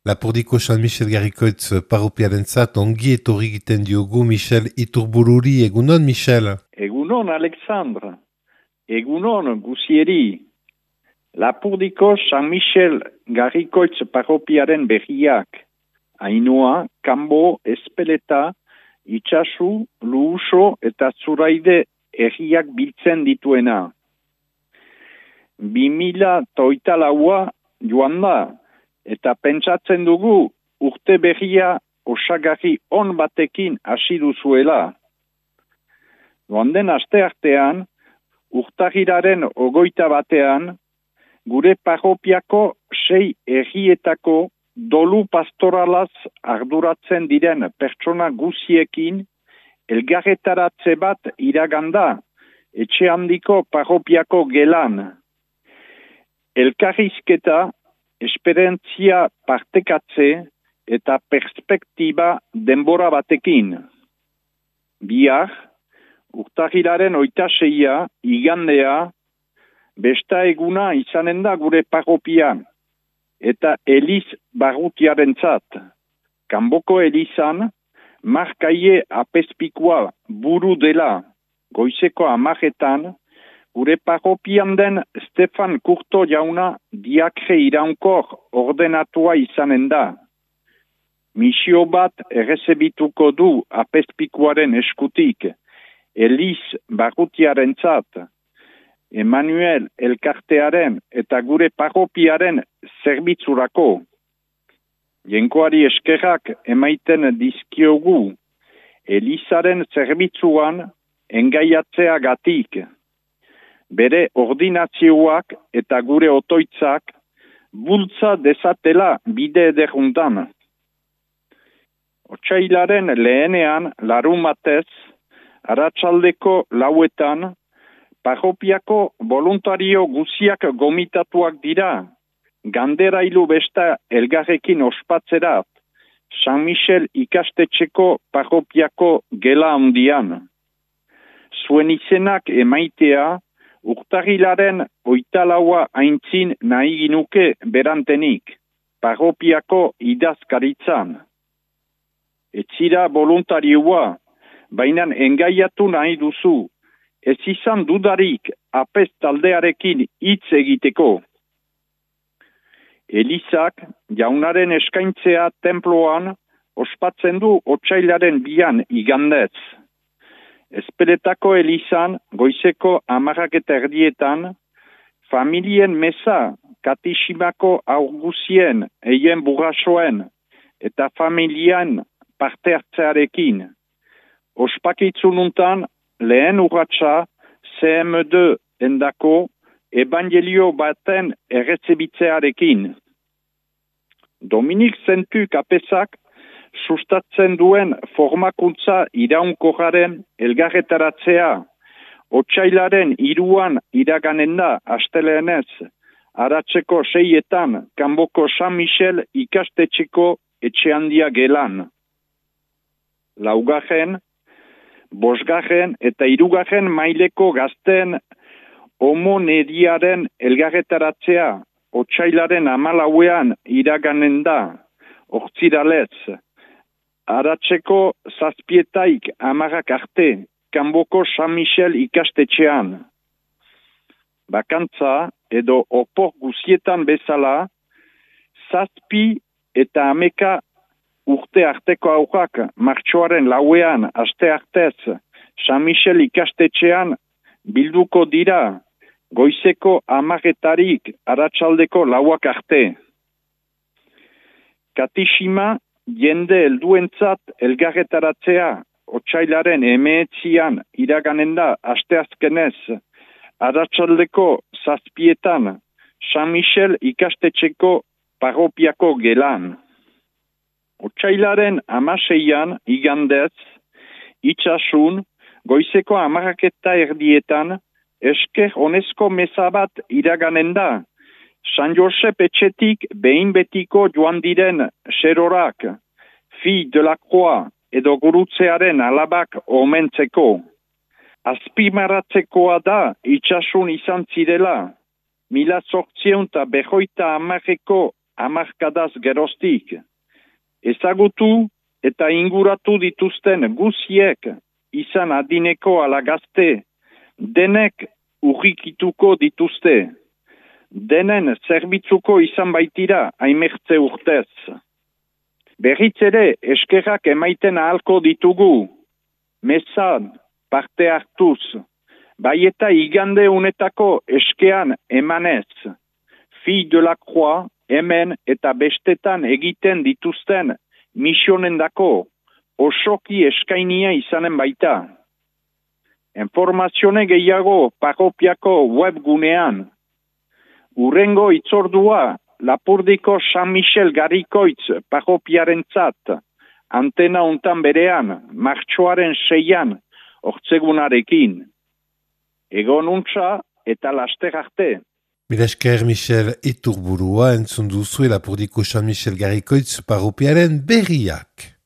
Lapurdiko San Michel Garrikoitz parropiarentzat ongi etorri egiten diogu Michel Iturbururi. Egunon, Michel? Egunon, Alexandre. Egunon, guzieri. Lapurdiko San Michel Garrikoitz parropiaren berriak. Ainhoa, Kanbo, Espeleta, Itxasu, Luuso eta Zuraide herriak biltzen dituena. 2008 joan da, eta pentsatzen dugu urte berria osagarri on batekin hasi duzuela. Joan den asteartean, urtarrilaren 21 gure parropiako 6 herrietako dolu pastoralaz arduratzen diren pertsona guziekin elgarretaratze bat iraganda etxe handiko parropiako gelan. Elkarrizketa, esperientzia partekatze eta perspektiba denbora batekin. Bihar, urtarrilaren 26 igandea, besta eguna izanen da gure parropian, eta Eliz barrutiarentzat. Kanboko Elizan, markaie apezpikua buru dela, goizeko 10 gure parropian den Stefan Kurto jauna diakre iraunkor ordenatua izanen da. Misio bat errezebituko du apezpikuaren eskutik, Eliz barrutiarentzat, Emmanuel elkartearen eta gure parropiaren zerbitzurako. Jenkoari eskerrak emaiten dizkiogu, Elizaren zerbitzuan engaiatzeagatik. Bere ordinazioak eta gure otoitzak bultza dezatela bide ederuntan. Otsailaren lehenean larumatez, arratsaldeko 4 parropiako voluntario guziak gomitatuak dira, ganderailu besta elgarrekin ospatzerat, San Michel ikastetxeko parropiako gela handian. Zuen izenak emaitea, urtarrilaren 24 aintzin nahi ginuke berantenik, parropiako idazkaritzan. Etzira voluntarioa, baina engaiatu nahi duzu, ez izan dudarik apez taldearekin hitz egiteko. Elizak jaunaren eskaintzea tenploan ospatzen du otsailaren 2 igandez. Espeletako Elizan goizeko 10:30 familien mesa katiximako aurguzien eien burrasoen eta familien parte hartzearekin. Ospakitzununtan lehen urratsa CM2 endako evangelio baten errezebitzearekin. Dominik Zentu kapezak sustatzen duen formakuntza iraunkorraren elgarretaratzea, otsailaren 3 iraganen da asteleenez, aratzeko 6 Kanboko San Michel ikastetxeko etxehandia gelan. 4., 5. eta 3. maileko gazten homoneriaren elgarretaratzea, otsailaren 14 iraganen da, ortziralez, aratzeko 7 arte, Kanboko San Michel ikastetxean. Bakantza edo opor guzietan bezala, 7 eta 10 urte arteko aurrak martxoaren 4 aste artez San Michel ikastetxean bilduko dira, goizeko 10 aratsaldeko 4 arte. Katixima jende helduentzat elgarretaratzea, otsailaren 19 iraganen da asteazkenez, aratsaldeko 7 San Michel ikastetxeko parropiako gelan. Otsailaren 16 igandez, Itxasun, goizeko 10:30 esker honezko meza bat iraganen da, San Josep etxetik behin betiko joan diren serorak, Fi de la Croix edo gurutzearen alabak omentzeko. Azpimarratzekoa da Itxasun izan zirela, 1850 hamarkadaz geroztik. Ezagutu eta inguratu dituzten guziek izan adineko ala gazte, denek urrikituko dituzte. Denen zerbitzuko izan baitira aimertze urtez. Berriz ere eskerrak emaiten ahalko ditugu. Mezan, parte hartuz, bai eta igande unetako eskean emanez. Fille de la Croix, hemen eta bestetan egiten dituzten misionendako osoki eskainia izanen baita. Informazione gehiago parropiako webgunean. Urrengo itzordua Lapurdiko San Michel Garrikoitz parropiarentzat, antena untan berean, martxoaren 6an, ortzegunarekin. Egon untza eta laster arte. Mila esker Michel Iturburua entzun duzue Lapurdiko San Michel Garrikoitz parropiaren berriak.